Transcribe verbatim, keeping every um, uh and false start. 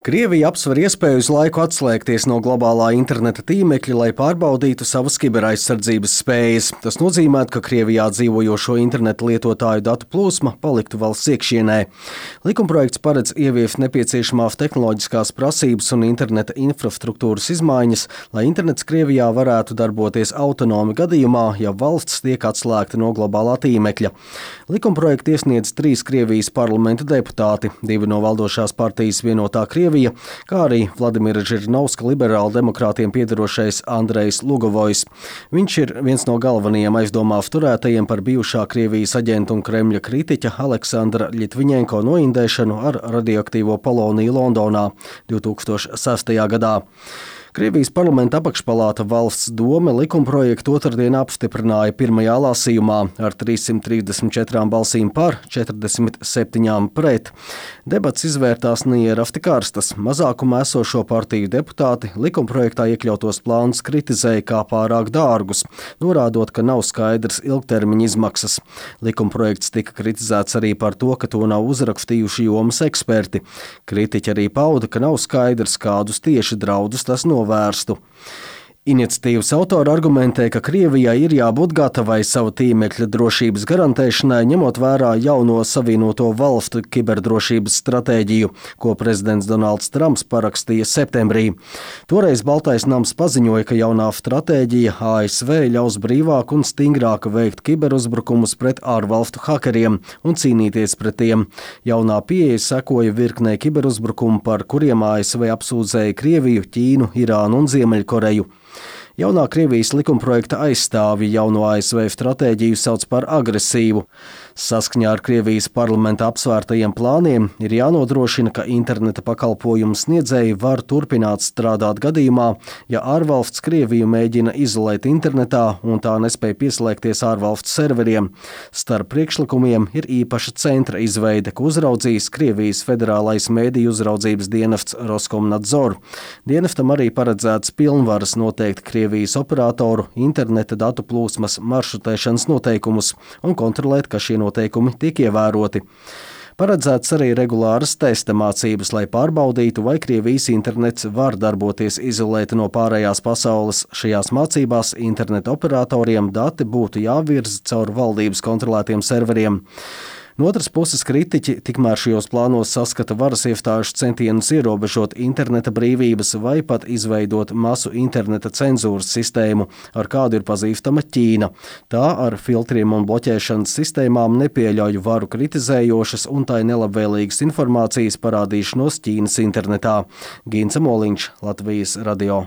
Krievija apsver iespēju uz laiku atslēgties no globālā interneta tīmekļa, lai pārbaudītu savas kiberaizsardzības spējas. Tas nozīmē, ka Krievijā dzīvojošo interneta lietotāju datu plūsma paliktu valsts iekšienē. Likumprojekts paredz ieviest nepieciešamās tehnoloģiskās prasības un interneta infrastruktūras izmaiņas, lai internets Krievijā varētu darboties autonomi gadījumā, ja valsts tiek atslēgta no globālā tīmekļa. Likumprojektu iesniedz trīs Krievijas parlamenta deputāti, divi no valdošās partijas Vienotā Krievija, kā arī Vladimira Žirinovska liberāla demokrātiem piederošais Andrejs Lugovojs. Viņš ir viens no galvenajiem aizdomās turētajiem par bijušā Krievijas aģenta un Kremļa kritiķa Aleksandra Ļitviņenko noindēšanu ar radioaktīvo poloniju Londonā divi tūkstoši sestajā gadā. Krievijas parlamenta apakšpalāta Valsts dome likumprojektu otrdien apstiprināja pirmajā lasījumā ar trīssimt trīsdesmit četrām balsīm par, četrdesmit septiņām pret. Debats izvērtās neierasti karstas. Mazākumā esošo partiju deputāti likumprojektā iekļautos plānus kritizēja kā pārāk dārgus, norādot, ka nav skaidrs ilgtermiņa izmaksas. Likumprojekts tika kritizēts arī par to, ka to nav uzrakstījuši jomas eksperti. Kritiķi arī pauda, ka nav skaidrs, kādus tieši draudus tas novērstu. Vērstu. Iniciatīvas autori argumentē, ka Krievijai ir jābūt gatavai savu tīmekļa drošības garantēšanai, ņemot vērā jauno Savienoto valstu kiberdrošības stratēģiju, ko prezidents Donalds Trumps parakstīja septembrī. Toreiz Baltais nams paziņoja, ka jaunā stratēģija A S V ļaus brīvāk un stingrāk veikt kiberuzbrukumus pret ārvalstu hakeriem un cīnīties pret tiem. Jaunā pieeja sekoja virknei kiberuzbrukumu, par kuriem A S V apsūdzēja Krieviju, Ķīnu, Irānu un Ziemeļkoreju. Jaunā Krievijas likumprojekta aizstāvji jauno A S V stratēģiju sauc par agresīvu. Saskaņā ar Krievijas parlamenta apsvērtajiem plāniem ir jānodrošina, ka interneta pakalpojumu sniedzēji var turpināt strādāt gadījumā, ja ārvalsts Krieviju mēģina izolēt internetā un tā nespēja pieslēgties ārvalstu serveriem. Starp priekšlikumiem ir īpaša centra izveide, ko uzraudzīs Krievijas federālais mēdīju uzraudzības dienests Roskomnadzor. Dienestam arī paredzēts pilnvaras noteikt Krievijas Krievijas operatoru interneta datu plūsmas maršrutēšanas noteikumus un kontrolēt, ka šie noteikumi tiek ievēroti. Paredzēts arī regulāras testa mācības, lai pārbaudītu, vai Krievijas internets var darboties izolēti no pārējās pasaules. Šajās mācībās interneta operatoriem dati būtu jāvirza caur valdības kontrolētiem serveriem. No otras puses, kritiķi tikmēr šajos plānos saskata varas iestāžu centienus ierobežot interneta brīvības vai pat izveidot masu interneta cenzūras sistēmu, ar kādu ir pazīstama Ķīna. Tā ar filtriem un bloķēšanas sistēmām nepieļauj varu kritizējošas un tai nelabvēlīgas informācijas parādīšanos Ķīnas internetā. Gints Moliņš, Latvijas radio.